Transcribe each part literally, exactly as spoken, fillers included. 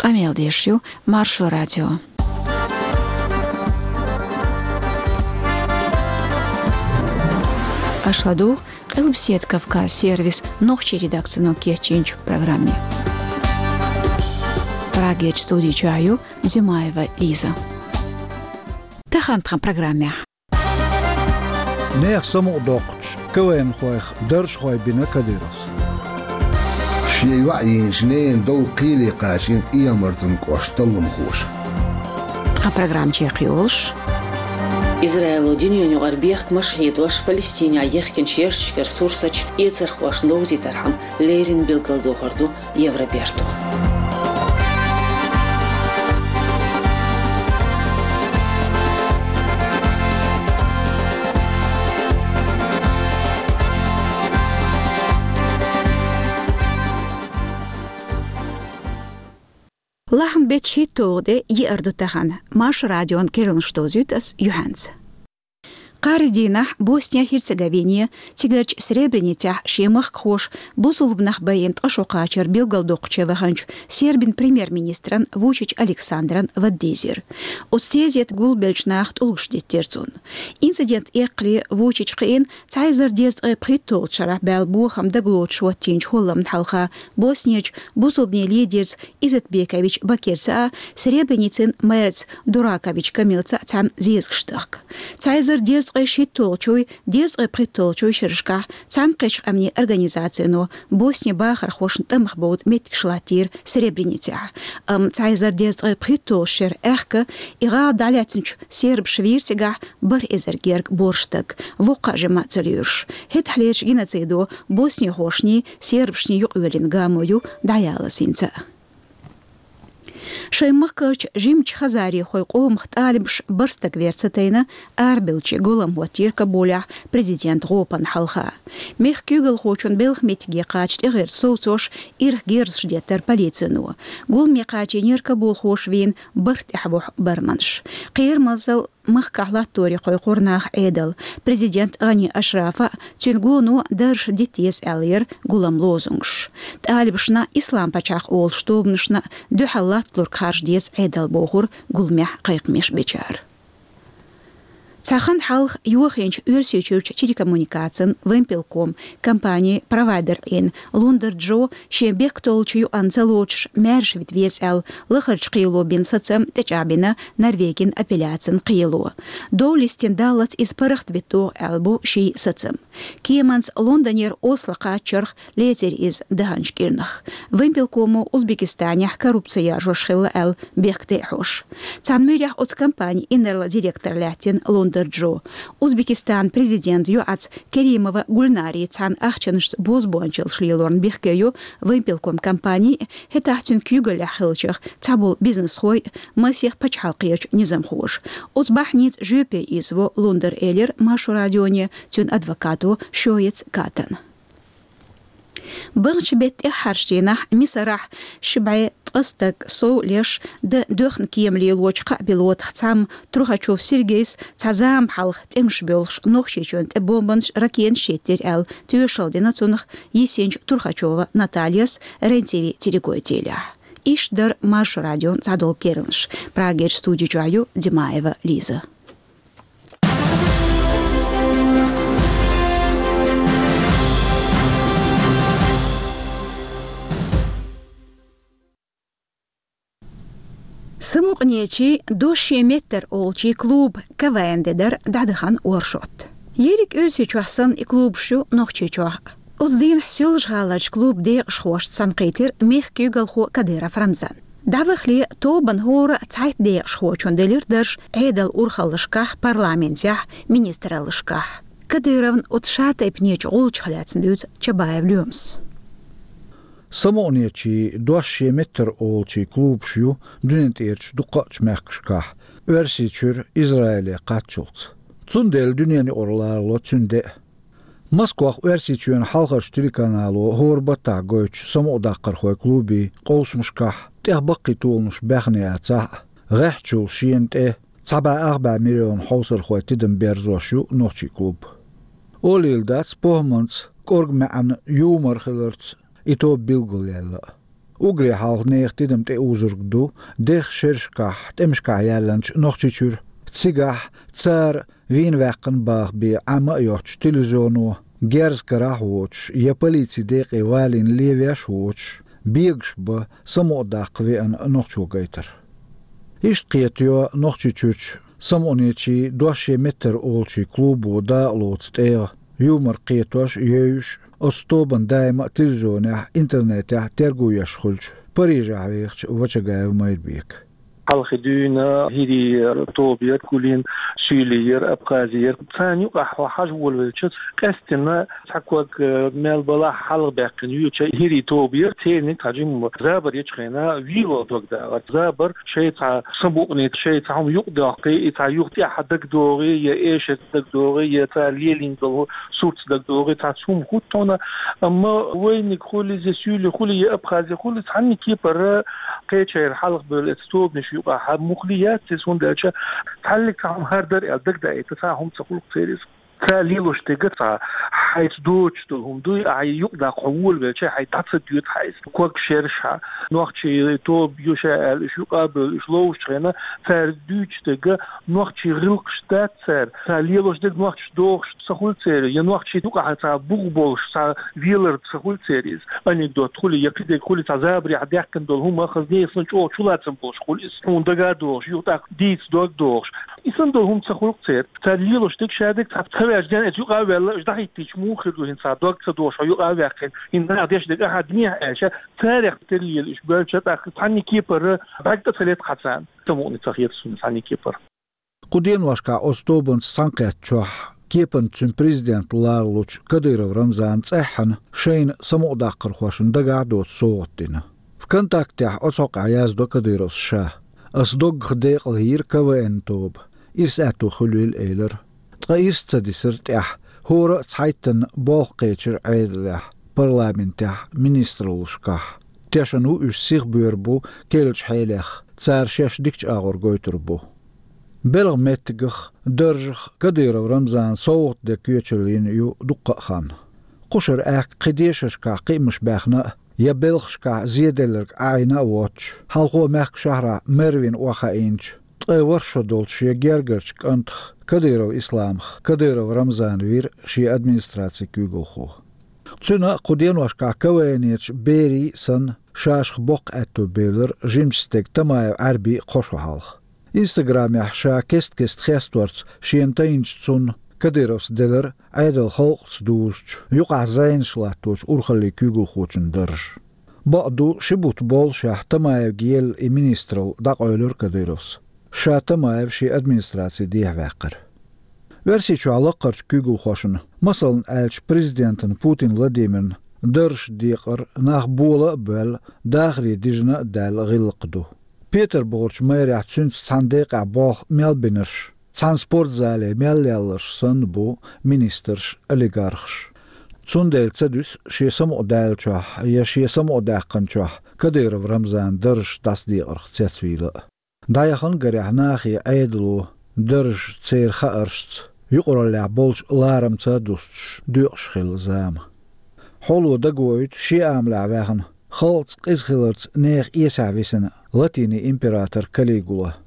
Къамел деш ю Маршо радио. Аша ладугӀу Къилбаседа Кавказ сервисан нохчийн редакцино кечйинчу программе. Прагерчу студи чохь ю Димаева Лиза. Тахана тхан программехь. Нехан самукъадоккхучу КВН-хойх даржхой бина Кадыровс. Шен йоӀ йийначу ненан дов кхеле кхачийна Иймазан кӀоштан талламхоша. Тхан программа чекхйолуш. Израило дуьненаюкъара бехкамаш а хьедош, Палестинехь ехкинчу шерашкара сурсаташ эцархошна довзийтархьама леррина билгалдохур ду Евроберто. Лахьан беттан шийтталгӀа де, еара ду тахана. Маршо радион керланаш довзуьйту ас юьхьанца. Кхаарин дийнахь Босния-Херцеговине, цигарчу Сребреницехь шен махкахоша бусулба нах байина ткъа шо кхачар билгалдоккхучу ваханчу Сербин премьер-министран Вучич Александран вада дийзира. Оцу тезета гулбеллачу наха тӀулгаш диттира цунна. Инцидент эккхале Вучича кхиъна, цхьа эзар дезткъе пхийтталгӀачу шарахь баьлла бохам дагалоцуш хӀоттийначу хӀолламна хьалха Боснерчу бусулбанийн лидерца Изетбекович Бакирца а, Сребреницин мэрца Дуракович Камилца а цхьаьна зезагаш дахка. Цхьа эзар дезткъе шийтталгӀачуй, дезткъе пхийтталгӀачуй шерашкахь Цхьаьнакхеттачу Къаьмнийн Организацино Боснин бахархошна тӀамах бовда меттигаш латтийра Сребреницехь. Амма цхьа эзар дезткъе пхийтталгӀачу шеран аьхка и гӀала дӀалаьцначу сербаша вийра цигахь бархӀ эзар герга боьрша стаг, воккха а жима а ца лоьруш. ХӀетахьлерчу геноцидо боснихошний, сербашний юкъавоьллина гамо ю дӀаялаза хӀинца а. Шайн махкарчу жимачу хазарийхойн къомах тӀалибаш бархӀ стаг вер ца тайна, арабевллачийн гулам хӀоттийра Кабулехь президентан гӀопана хьалха. Мехкан куьйгалхочун белхан меттиге кхача тӀегӀерта совцош ирх герзаш деттара полицино. Гуламе кхачийнера кабулхоша вийна бархӀ тӀаьхьавуху барманаш. Кхерамазалла махкахь латторехь кхойкхура наха Ӏедал. Президент ГӀани Ашрафа а, цуьнан гоно даржаш дита деза аьлла яра гулам лозунгаш. ТӀалибашна, Ислам пачхьалкх олучу тобанашна дуьхьал латталург харжа деза Ӏедал, бохура гуламехь кхайкхамаш бечара. Цхьа хан хьалха йохийначу Оьрсийчуьрчу телекоммуникацийн Вимпелком компанин провайдер Ӏийна Лундар Джо шен бехктоллучу юкъанна ца лоцуш маьрша вита веза аьлла лахарчу кхело бина сацам тӀечӀагӀбина Норвегин апелляцин кхело. Дов листина даллалц иза паргӀатвита догӀу аьлла бу шен сацам. Кеманца Лондонера Осло кхаччарх лецира иза даханчу кӀирнах. Вимпелкомо Узбекистанехь коррупци яржош хилла аьлла бехкту тӀе а хьош. Цхьана муьрехь оцу компанин инарла директор лаьттина Лундар Джо. Узбекистанан президентан йоӀаца Керимова Гульнари цхьана ахчанашца бозбуунчаллаш лелорна бехке ю Вимпелком компани, хӀетахь цуьнан куьйгаллехь хиллачех цхьаболу бизнесхой, масех пачхьалкхерчу низамхоша. Оцу бахьаница жоьпе ийзаво Лундар, элира Маршо радионе цуьнан адвокато Шоец Катана. Баханчу беттан тӀаьххьарчу дийнахь Мисарахь ши бӀе ткъа стаг сов леш, дан доьхна кема лелочу кхаа пилотах цхьамма, Трухачев Сергейс, цхьа зама хьалха тӀемаш боьлхуш Нохчийчоьнна тӀе бомбанаш, ракеташ йиттира аьлла, тоьшалла дина цунах йисинчу Трухачева Натальяс РЕН-ТВ телегойтийлехь. Иштта дара Маршо радион цхьадолу керланаш. Прагерчу студи чохь ю Димаева Лиза. Самукъанечийн «Дош шен меттара» олучийн клубан КВН де дара дӀадахана оршот. Ерриг Оьрсийчохь санна и клубаш ю Нохчийчохь а. Оцу дийнахь Соьлжа-ГӀаларчу клубан декъашхошца цхьаьнакхийтира мехкан куьйгалхо Кадыров Рамзан. ДӀавахале тобанан хӀора цхьайтта декъашхочунна делира дарж Ӏедалан урхаллашкахь, парламентехь, министраллашкахь. Кадыровн оцу шатайпанечу гӀулчах лаьцна дуьйцу Чабаев Лоьмас. Самукъанечийн «Дош шен меттара» олучийн клубаш ю дуьнен тӀерачу дуккхачу мехкашкахь, Оьрсийчуьра Израиле кхаччалц. Цундела дуьненаюкъара ларало цуьнан де а. Москвахь Оьрсийчоьнан хьалхарчу телеканало хӀора баттахь гойтучу самукъадаккхархойн клубийн къовсамашкахь тӀех баккхий толанаш баьхна яцахь а, гӀеххьачул шена тӀе цхьа бӀе ах бӀе миллион хьовсархойн тидам берзош ю нохчийн клуб. Олийла дац похӀманца, кӀорга маьӀна, юмор хиларца и тоба билгалъяьлла а. Уггаре хьалха нехан тидам тӀеузург ду дехача шерашкахь, тӀемашкахь яьллача Нохчийчуьра. Цигахь цара вийна ваьккхина баха бен Ӏама а йоцуш телевизионо, герз карахь а воцуш, я полицин декъе валийна лен веш а воцуш, бегаш бан самукъадаккха веана нохчо гайтар. Иштта кхетайо Нохчийчуьрчу самукъанечийн «Дош шен меттара» олучу клубо дакъалоцу тӀегӀа. Юмор кхетош а, евзаш а, оцу тобанна даима а телевизионехь, интернетехь терго еш хуьлучу Парижехь вехачу Вачагаев Майрбека. Хьалхе дуьйна хӀирийн тоба яра, Кулин, Суьйлийн яра, Абхазин яра. Царна юкъахь хьо хьажа волавелча, къаьсттина цхьа ког, э, мел балахь хьалха баьккхина юьйцучу хӀирийн тоба яра, церниг цхьа жимма забар ечу хенахь вело дог дагӀар. Забар шайн цхьа самукъане, шайн цхьа хӀума юкъадоккхий, и цхьа юха тӀаьхьа дагадогӀий, я эшарца дагадогӀий, я цара лелийна долу суртца дагадогӀий, цхьацца хӀума хӀуттуна. Амма вайниг хуьлий, я Суьйли хуьлий, я Абхази хуьлий, цхьанна кепара кхечара хьалха бевлла эцу тобанаш юкъахь муххале яц иза, хӀунда аьлча цхьаллиг цхьа хӀума хӀара дара аьлла дагадаийта цхьа хӀума ца хуьлу церан иза. Цара лелош дерг цхьа хьайца доцуш долу хӀума дуй, ахьа юкъадаккха хьо волавелча, хьайн дӀа ца доьду хьайца. Ког шераш хьа, нохчийн тоба ю ша аьлла, уьш юкъа а бевлла, уьш ловзучу хенахь, цара дуьйцуш дерг нохчийн гӀиллакхаш дац цара. Цара лелош дерг нохчаша дохуш ца хуьлу церан, я нохчийн юкъахь цхьа бух болуш, цхьа велар ца хуьлу церан иза. Анекдот хуьлий, я кхидерг хуьлий, цхьа забарехь даьккхина долу хӀума хаза нехан санна чӀогӀа чулацам болуш хуьлу иза. Хьуна дага а догӀуш, юха тӀаккха дийца дог а догӀуш. И санна долу хӀума ца хуьлу церан. Цара лелош дерг шадерг цхьа ца ваьжна, иза юкъа а ваьлла, уьш дӀахӀиттийча муха хир ду хӀинца, дог ца догӀуш, хьо юкъа а ваьккхина, хӀинца наха деш дерг ахьа динехь аьлча, царех тера лелийча бевлча тӀаккха цхьанна кепара бӀаьрг тӀе ца летта хьан царна. Самукъане ца хета суна цхьанна кепара. Кху деношкахь оцу тобанца цхьаьнакхеттачохь кепанца цуьнан президент лоруш волчу Кадыров Рамзана цӀеххьана шайна самукъадаккхархошна дагахь а доцу совгӀат дина. ВКонтактехь оцу хьокъехь яздо Кадыровс ша: «Ас доггах декъала йийра КВН тоба, ирс аьтто хуьлийла», — элира. Ткъа ирс ца дисира тӀаьхьа, хӀора а цхьайттанна болх кхечира Ӏедалехь, парламентехь, министраллашкахь. Тешна ву уьш сиха боьрзуш бу керлачу хьелех, цара шаьш дикачу агӀор гойтур бу. Белхан меттигах, даржах Кадыров Рамзана совгӀат де коьчаллина ю дуккха а хан. Кхушара аьхка кхин дешаршкахь кхиамаш баьхна а, я белхашкахь зеделларг Ӏайна а воцуш, хьалхо мехкан шахьарахь Мервина охьахаийначу, ткъе ворхӀ шо долчу шен гергарчу кӀантах Кадыров Исламах Кадыров Рамзана вира шен администрацин куьйгалхо. Цуьнан кху деношкахь КВН-ечу берийн а санна, шашах боккха аьтто бевлира жимачу стеган Тамаев Ӏаьрбин а кхо шо хьалха. Инстаграмехь ша кест-кеста хесторца шена тайначу цунна Кадыровс делира Ӏедал халкъаца дузучу, юкъахь зӀенаш латточу урхаллин куьйгалхочун дарж. Бакъ ду, ши бутт боллушехь Тамаевга елла и министралла дӀакъевлира Кадыровс. Ша Тамаев шен администраци дехьаваьккхира. Оьрсийчохь лаккхарчу куьйгалхошна, масална аьлча, президентана Путин Владимирна даржаш декъар нах бола а боьлла, дахаре дижина а даьлла гӀиллакх ду. Петарбухарчу мэрехь цуьнца цхьана декъехь болх мел бинарш, цхьана спортзале мел лелларш санна бу министрш, олигархаш. Цундела ца дуьсу шен самукъадаьллачохь я шен самукъадаьккхинчохь Кадыров Рамзана даржаш дӀасадекъарх цецвийла а. ДӀаяхана гарехь нахе Ӏедало даржаш церан хааршца, юкъараллехь болчу ларамца а дустуш, доькъуш хилла зама. Хьоло дагавоуьйту шен амалехь ваьхна, халкъаца къиза хиларца нехан эсехь висина латинийн император Калигула.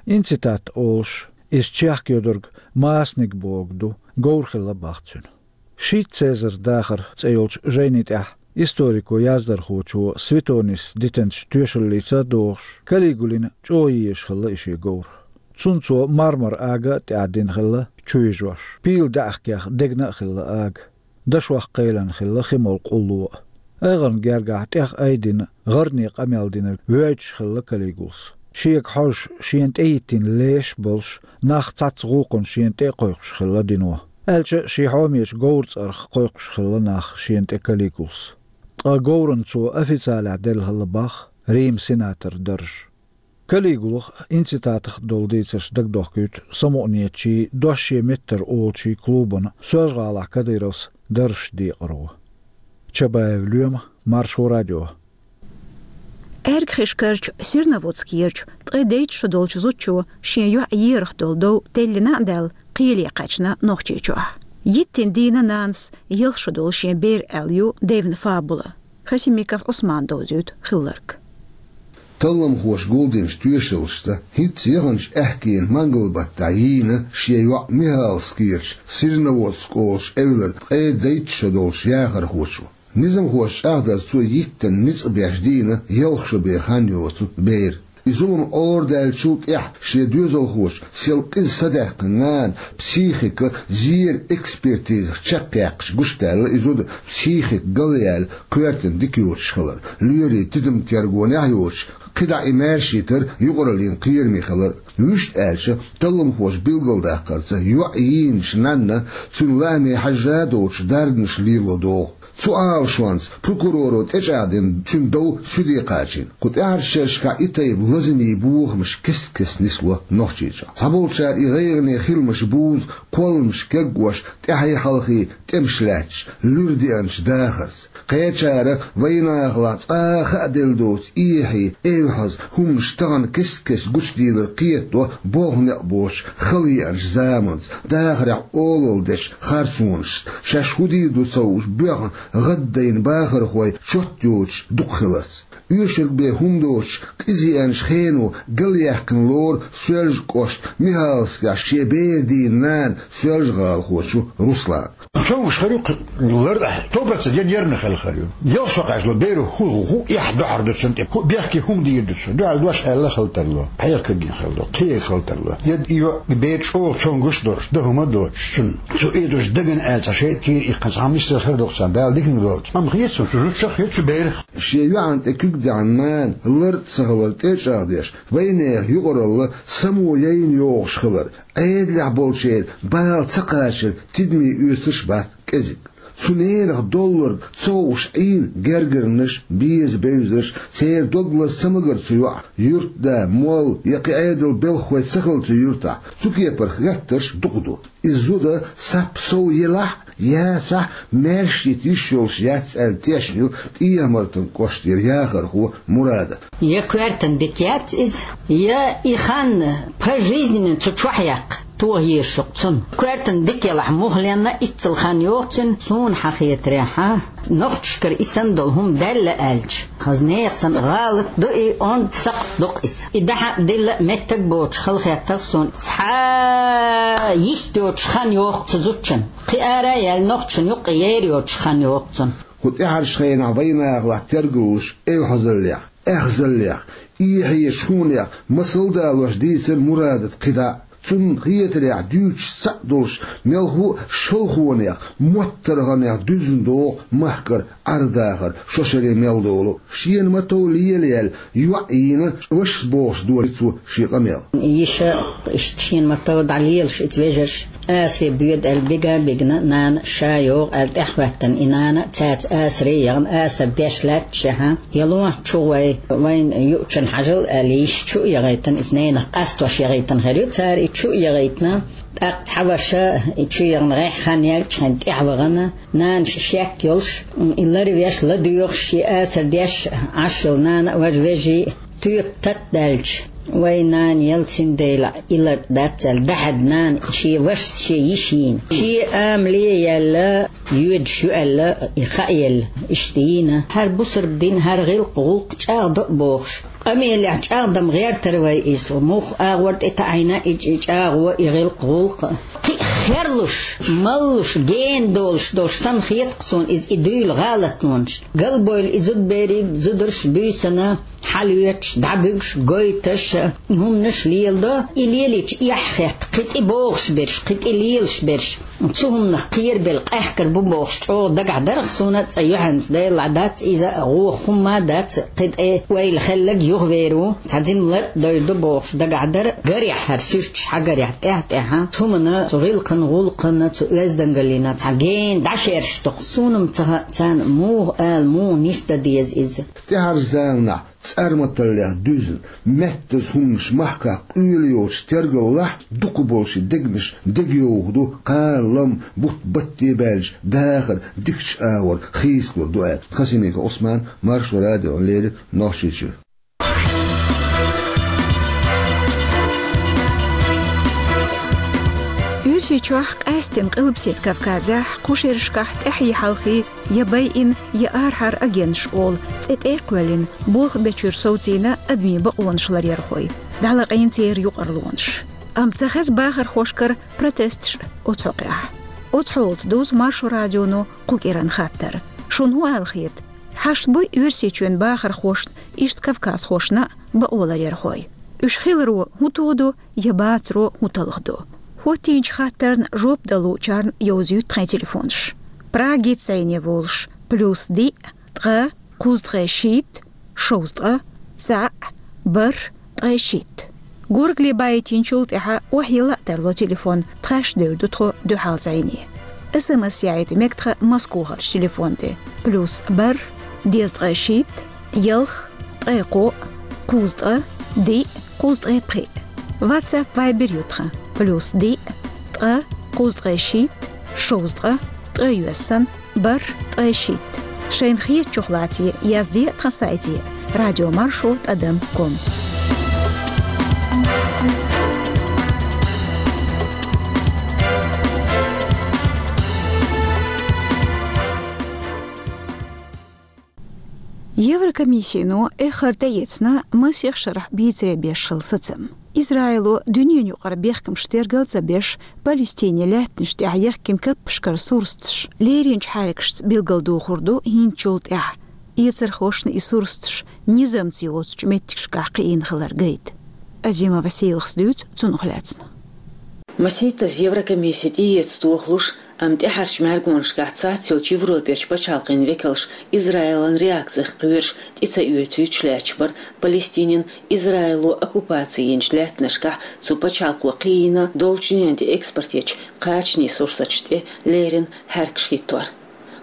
Инцитат олуш, иза чехка йодург масаниг бохург ду, говр хилла бах цуьнан. Шийтта Цезарь дахар цӀе йолчу жайни тӀехь историко-яздархочо Светонис дитинчу тоьшаллица а догӀуш, Калигулина чӀогӀа езаш хилла и шен говр. Цунна цо мармар ага а тӀаьхьа дина хилла чу йижош, пийлан даьӀахкех дегна а хилла ага. Дашох кхелина хилла хи молу къулло а. АйгӀарна гергахь тӀех айдина, гӀарне къамел динарг воьйцуш хилла Калигулас. Шега хьожуш, шена тӀехӀиттина леш а болуш, нах цхьацца гӀуллакхана шена тӀе а кхойкхуш хилла дино. Аьлча а, шен хьомечу говран цӀарах кхойкхуш хилла нах шена тӀе Калигулас. Ткъа говрана цо официалехь делла хилла бах Риман сенатор дарж. Калигулах, инцитатах долу дийцарш дагадохкуьйту самукъанечийн «Дош шен меттара» олучийн клубана Соьлжа-ГӀалахь Кадыровс даржаш декъаро. Чабаев Лоьма, Маршо радио. Эргхишкарчу Серноводскерчу ткъе дейтта шо долчу зудчо шен йоӀ ерах долу дов теллина а даьлла, кхеле кхаьчна Нохчийчохь. Йиттина дийна нанас ялх шо долу шен бер аьлла ю девнан фабула. Хасимиков Ӏусмана довзуьйту хилларг. Талламхоша гулдинчу тоьшаллашца, хӀинцца яханчу аьхкенан мангал-баттахь йийна шен йоӀ Михалскерчу Серноводск олучу эвлара ткъе дейтта шо долчу яхархочо. Низамхоша чӀагӀдарца, цо йиттина ницкъ беш дийна ялх шо бен хан йоцу бер. И зулам арадаьллачул тӀаьхьа шен доьзалхочун сел къиза садаьккхина нана психикан зеран экспертизах чекхъяьккхича гучудаьлла, и зуда психика галъяьлла коьртана дика йоцуш хилар, лоьрийн тидам-тергонехь йоцуш, кхидӀа и маьрша йитар юкъараллин кхераме хилар. Вуьшта аьлча, талламхоша билгалдаккхарца, йоӀ йийначу нанна цуьнан лааме хьажжа а доцуш дарбанаш лело догӀу. Цу Ӏалашонца прокуроро тӀечӀагӀдина цуьнан дов суьде кхачийна. Кху тӀаьхьарчу шерашкахь и тайпа лазамийн бохамаш кест-кеста нисло Нохчийчохь. Цхьаболчара и гӀайгӀане хиламаш бузу кхолламаш кегош, тӀаьхьий-хьалхий тӀемаш лаьтташ, луьра деанчу дахарца. Кхечара вайнахалахь цкъа а хааделла доцу эхье, эвхьаза хӀуманаш тахана кест-кеста гучудийлар кхетадо болх-некъ боцуш хала еанчу заманца, дахарехь олалла дечу харцонашца, шаьш хӀун дийр ду ца хууш боьхна гӀаддайна бахархой чот йоцуш дукха хиларца. Оьшург бен хӀума доцуш, къиза еанчу хено галъяьккхина лору Соьлжа-кӀоштан Михалскехь шен бер дийна нана Соьлжа-ГӀалахочо Руслана. Цо уьш хир ю кхин лар а, сто процентов я нервный хилла хир ю. Ялх шо кхачало, беро хӀун, хӀун эхь дуьхьал ду цунна тӀе, хӀун бехке хӀума дийр ду цо. Дуьхьал дош аьлла хила тарло, хьекхаргдина хила ду, кхиъна хила тарло. Я и йоӀ бер чӀогӀа цомгуш долуш, дан хӀума доцуш цунна. Цо и дош дагана аьлла, цхьа шайтӀа кийра иккхина, цхьа миссел хир ду-кх царна, Дала диканиг долчу. Амма хета цунна, цу зудчух хета цу берах. Шен йоьӀан тӀе куьг даьхна нана лар а ца хилар тӀечӀагӀдеш, вайнехан юкъаралла само яйна йогӀуш хилар, Ӏедалехь болчеран бала ца кхачар тидаме оьцурш бац кӀезиг. Цу ненах долларг ца хууш Ӏийна гергарнаш, беза бевзарш, церан дог лаза ца магар цу йоӀа, юьртда молла я кхин Ӏедалан белхахой ца хилла цу юьртахь, цу кепара хеттарш дукха ду. Иза зуда сап сов елахь а, яцахь а, маьрша йита йиш йолуш яц аьлла тешна ю ТӀехьа-Мартан кӀоштара яхархо Мурадат. Я коьртана дика яц иза, я и хан пожизненно цу чохь яккха тоха езаш ю-кх цунна. Коьртана дика елахь мухха ленна, иццал хан йогӀу цуьнан, суна хьан хетарехь, нохчашкара и санна долу хӀума даьлла аьлча. Хаза нехан санна гӀалат ду и, онда сакхт ду-кх иза. И дахьа а дилла а меттиг боцуш хала хеттарх суна. Цхьа йист йоцуш хан йогӀу-кх цу зудчун. Кхин ара а яьлла, нохчашна юккъе ер йоцуш хан йогӀу-кх цунна. Кху тӀаьхьарчу хенахь вайнахалахь тергаллуш эвхьазаллех, аьхзаллех, эхьечу хӀуманех масал далош дийцира Мурадата кхидӀа а. Цунна хетарехь, дуьйцуш цхьаъ долуш, мелхо а шалхонех, моттаргӀанех дуьзна догӀу махкара Ӏардахар, шо шаре мел долу. Шена ма-тов лелаяьлла йоӀ йийна вашас бохуш дора цо шен къамел. Йиша иштта шена ма-тов дӀалелаш иза вежарша, асаре боьду аьлла, бига а бигна, нана ша йогӀу аьлла, тӀаьхьахӀоьттина и нана цаьрца асаре а яхна, асар деш лаьтташехь, ялонах чу гӀой, вайна юучунна хьажал аьлла, йиша чу а яхийтина, иза ненах къастош яхийтина хир ю. Цара и чу а яхийтина, тӀаккха цхьа ваша и чу яхна гӀеххьа хан яьллачу хенахь тӀаьхьа вахана, нана ши шек йолуш, и ларвеш, ладоьгӀуш, шен асар деш Ӏаш йолу нана а, важа вежарий а тоьпа тата даьлча, вай нана яла, цундела и лар дац аьлла, дахьадда нана шен вашас шен йиша йийна. Шен амале а яьлла, йоьдуш ю аьлла, и хаа елла, иштта йийна. ХӀара бусалба дин, хӀара гӀиллакх-гӀуллакх чӀагӀдо а бохуш, къамелехь чӀагӀдам гӀертара вай иза. Муха агӀор тӀетаӀийна и чӀагӀо, и гӀиллакх-гӀуллакх. Кхин а херлуш, маллуш, гена долуш долуш санна хета-кх суна иза, и дуьйла гӀалатонаш. Галбевлла и зудберий, зударш буьйсанна хьалоьцуш, дӀабуьгуш, гойтуш, хӀуманаш леладо. И лелийча эхь хетта, кхин тӀе богӀуш берш, кхин тӀе лелаш берш. Цу хӀуманах кхерабелла къаьхкар бу бохуш, чӀогӀа дагахь дара-кх суна, цкъа юьхьанца, Делахь, дац иза, гӀо хӀумма а дац, кхин тӀе ойла хилларг юхавер ву, цхьа зина лар а дойр ду бохуш дагахь дара. Гарехь, хӀара суьрташ хьагарехь, тӀаьхь-тӀаьхьа цу хӀуманна, цу гӀиллакхан-гӀуллакхана, цу оьздангаллина цхьа гена дӀашераш ду-кх. Суна-м ца хаьа, царна муха ала, муха нисдан деза иза. ТӀаьхьарчу заманахь цӀарматаллех дуьзна, меттаза хӀуманаш махкахь къоьлла йоцуш тергаллахь, дукхахболчийн дегнаш дегайовхо ду кхана-лама бутт батте баьлча дахар дикачу агӀор хийцалур ду аьлла. Хасимиков Ӏусман, Маршо радиона леррина, Нохчийчуьра. Оьрсийчохь, къаьстина Къилбаседа Кавказехь, кху шерашкахь тӀаьхье хьалхе я байина, я арахьара агенташ олу цӀе тӀе а кхоьллина, болх бечуьра совцийна адамийн бакъонаш ларъярхой, дӀалакъийна церан юкъарлонаш. Амма ца хеза бахархошкара протесташ оцу хьокъехь. Оцу хьолаца дузу Маршо радионо кху кӀиран хаттар. Шуна хӀун ала хета? Хьашт буй Оьрсийчоьнан бахархошна, иштта кавказхошна а бакъо ларъярхой? Уьш хиларо хӀун тодо я бацаро хӀун талхадо? ХӀоттийначу хаттарна жоп дала луучарна йовзуьйту тхайн телефонаш. Прагица зӀене волуш: плюс диъ, ткъа, кхузткъе шийтта, шовзткъа, цхьаъ, бархӀ, ткъе шийтта. Горгали баийтинчул тӀаьхьа охьайилла а тарло телефон, тхаьш девр ду тхо дуьхьал зӀене. СМС яийта мега тхан Москвахарчу телефон тӀе: плюс бархӀ, дезткъе шийтта, ялх, ткъе кхоъ, кхузткъа, диъ, кхузткъе пхиъ. WhatsApp, Viber ю тхан: плюс диъ, ткъа, кхузткъе шийтта, шовзткъа, ткъе йоьссан, бархӀ, ткъе шийтта. Шайна хетачух лаций, язде тхан сайте радиомаршо тӀадам ком. Еврокомиссино эххар тӀеэцна масех шарахь бийцаре беш хилла сацам. Израило дуьненан юкъара бехкамаш тергал ца беш, Палестинин лаьттанаш тӀехь яхкина каппашкара сурсаташ леринчу хьаьркашца билгалдохур ду хӀинцачул тӀаьхьа, эцархошна и сурсаташ низамца йоцучу меттигашкахь кхиийна хилар гайта. Азима Василахс дуьйцу цунах лаьцна. Масийттаза Еврокомисси тӀеэца тохалуш, амма тӀаьхьарчу мӀаьргонашкахь цхьацца йолчу Европерчу пачхьалкхийн векалш Израилан реакцих кхоьруш тӀе ца оьцуьйтуш лаьтташ бара Палестинин Израило оккупаци йинчу лаьттанашкахь цу пачхьалкхо кхиийна долчу дуьнен тӀе экспорт ечу кхачанийн сурсаташ тӀе леррина хьаьркаш хӀиттор.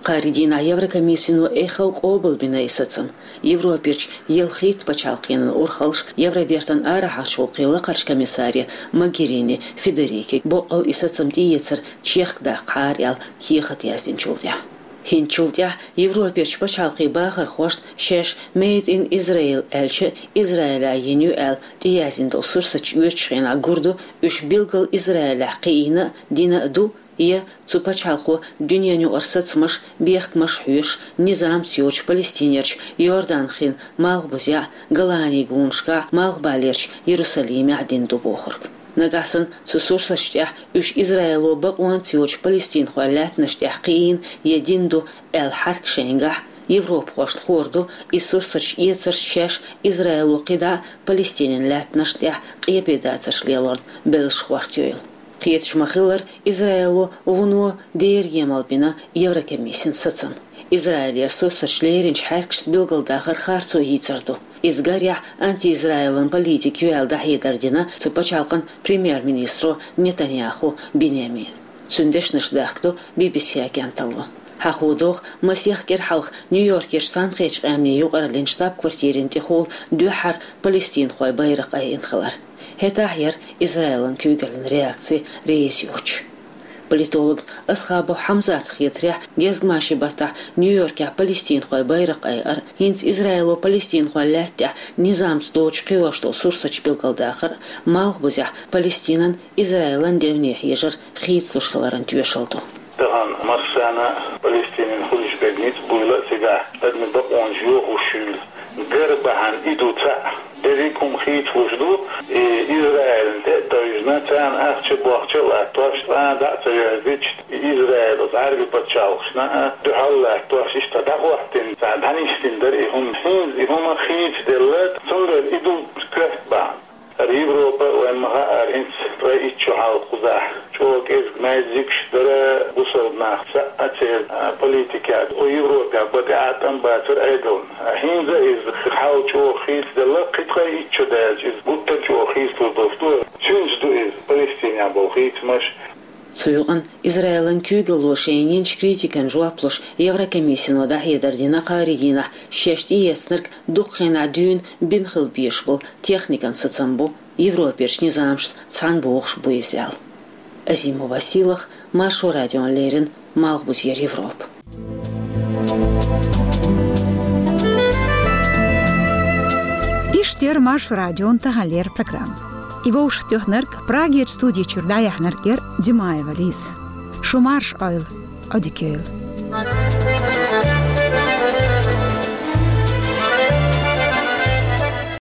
Кхаарин дийнахь Еврокомиссино эххал къобалбина и сацам. Европерчу ялхитта пачхьалкхенан урхаллаш Евробертан арахьарчу гӀуллакхийн лакхарчу комиссаре Могерини Федерике боккъал и сацам тӀеэцар чехкадаккхахьара аьлла кехат яздинчул тӀаьхьа. ХӀинцачул тӀаьхьа Европерчу пачхьалкхийн бахархошна шаьш Made in Israel аьлча, Израилехь йина ю аьлла тӀеяздина долу сурсаташ оьцучу хенахь гур ду, уьш билггал Израилехь кхиийна а, дина а ду, я цу пачхьалкхо дуьненан юкъара сацамаш, бехкамаш хьоьшуш, низамца йоцуш Палестинерчу Иордан-хин малхбузехь, Голанийн гонашкахь, Малхбалерчу Ярусалимехь дина ду бохург. Нагахь санна цу сурсаташ тӀехь уьш Израило бакъонца йоцуш палестинхойн лаьттанаш тӀехь кхиийна я дина ду аьлла хьаьрк шайнгахь, европахошна хуур ду, и сурсаташ эцарца шаьш Израило кхидӀа а Палестинин лаьттанашна тӀехь къепедацарш лелорна беллаш хӀоттайойла. Кхеташ ма-хиллара, Израило вуно дера емал бина Еврокомиссин сацам. Израилера сурсаташ леринчу хьаьркашца билгалдахар харцо йийцар ду. Иза гарехь анти-Израилан политика ю аьлла дӀахьедар дина цу пачхьалкхан премьер-министро Нетаньяху Биньямина. Цуьнан дешнаш дахка ду Би-Би-Си агенталло. Хьахо догӀу, масех кӀира хьалха Нью-Йоркерчу Цхьаьнакхеттачу Къаьмнийн юкъараллин штаб-квартирин тӀехула дуьххьара палестинхойн байракх айина хилар. ХӀетахь яра Израилан куьйгаллин реакци реза йоцуш. Политолог Асхабов Хьамзатан хетарехь, гезгмашин баттахь Нью-Йоркехь палестинхойн байракх айар, хӀинца Израило палестинхойн лаьтта тӀехь низамца доцуш кхиош долу сурсаташ билгалдахар, малхбузехь Палестинан, Израилан девне хьежар хийцалуш хиларан тоьшалла ду. Тахана массарна Палестинан хуьлуш берг ницкъ буйла а, цигахь адамийн бакъонаш йохош хуьлу гар бахьана и ду цхьаъ. Дерриг хӀума хийцалуш ду, и Израилна тӀе а тевжина, царна ахча а, бохча а латтош, цкъа а дӀа а ца йоьрзуьйтуш, и Израил оцу Ӏаьрбийн пачхьалкхашна а дуьхьал латтош, иштта дӀахӀоттийна, царна дӀанисдина дара и хӀума. ХӀинца и хӀума хийцаделла, цундела и ду коьрта бахьана. ХӀара Европа, вайн ма-хаъара, хӀинца ткъе итт шо хьалха кхузахь чӀогӀа кӀезиг-маьззигаш дара бусалба нах, цхьаъ а церан, а, политикехь, кху Европехь бан тӀе а тӀом бацара Ӏедална. ХӀинца иза хьал чӀогӀа хийцаделла, кхин ткъе итт шо даьлча иза гуттар а чӀогӀа хийцалур долуш ду. Цуьнца ду иза Палестинехь болу хийцамаш. Цу юкъана Израилан куьйгалло шайна йинчу критикан жоп луш, Еврокомиссино дӀахьедар дина кхаарин дийнахь, шаьш тӀеэцнарг дукха хенахь дуьйна бина хила безаш болу техникан сацам бу, Европерчу низамашца цхьаьна богӀуш бу иза аьлла. Азимова Силах, Маршо радиона леррина, Малхбузера Европа. Иштта яра Маршо радион таханлера программа. И вовшахтоьхнарг, Прагерчу студи чуьра дӀаяьхьнарг яра Димаева Лиза. Шу марша Ӏойла, Ӏодика йойла.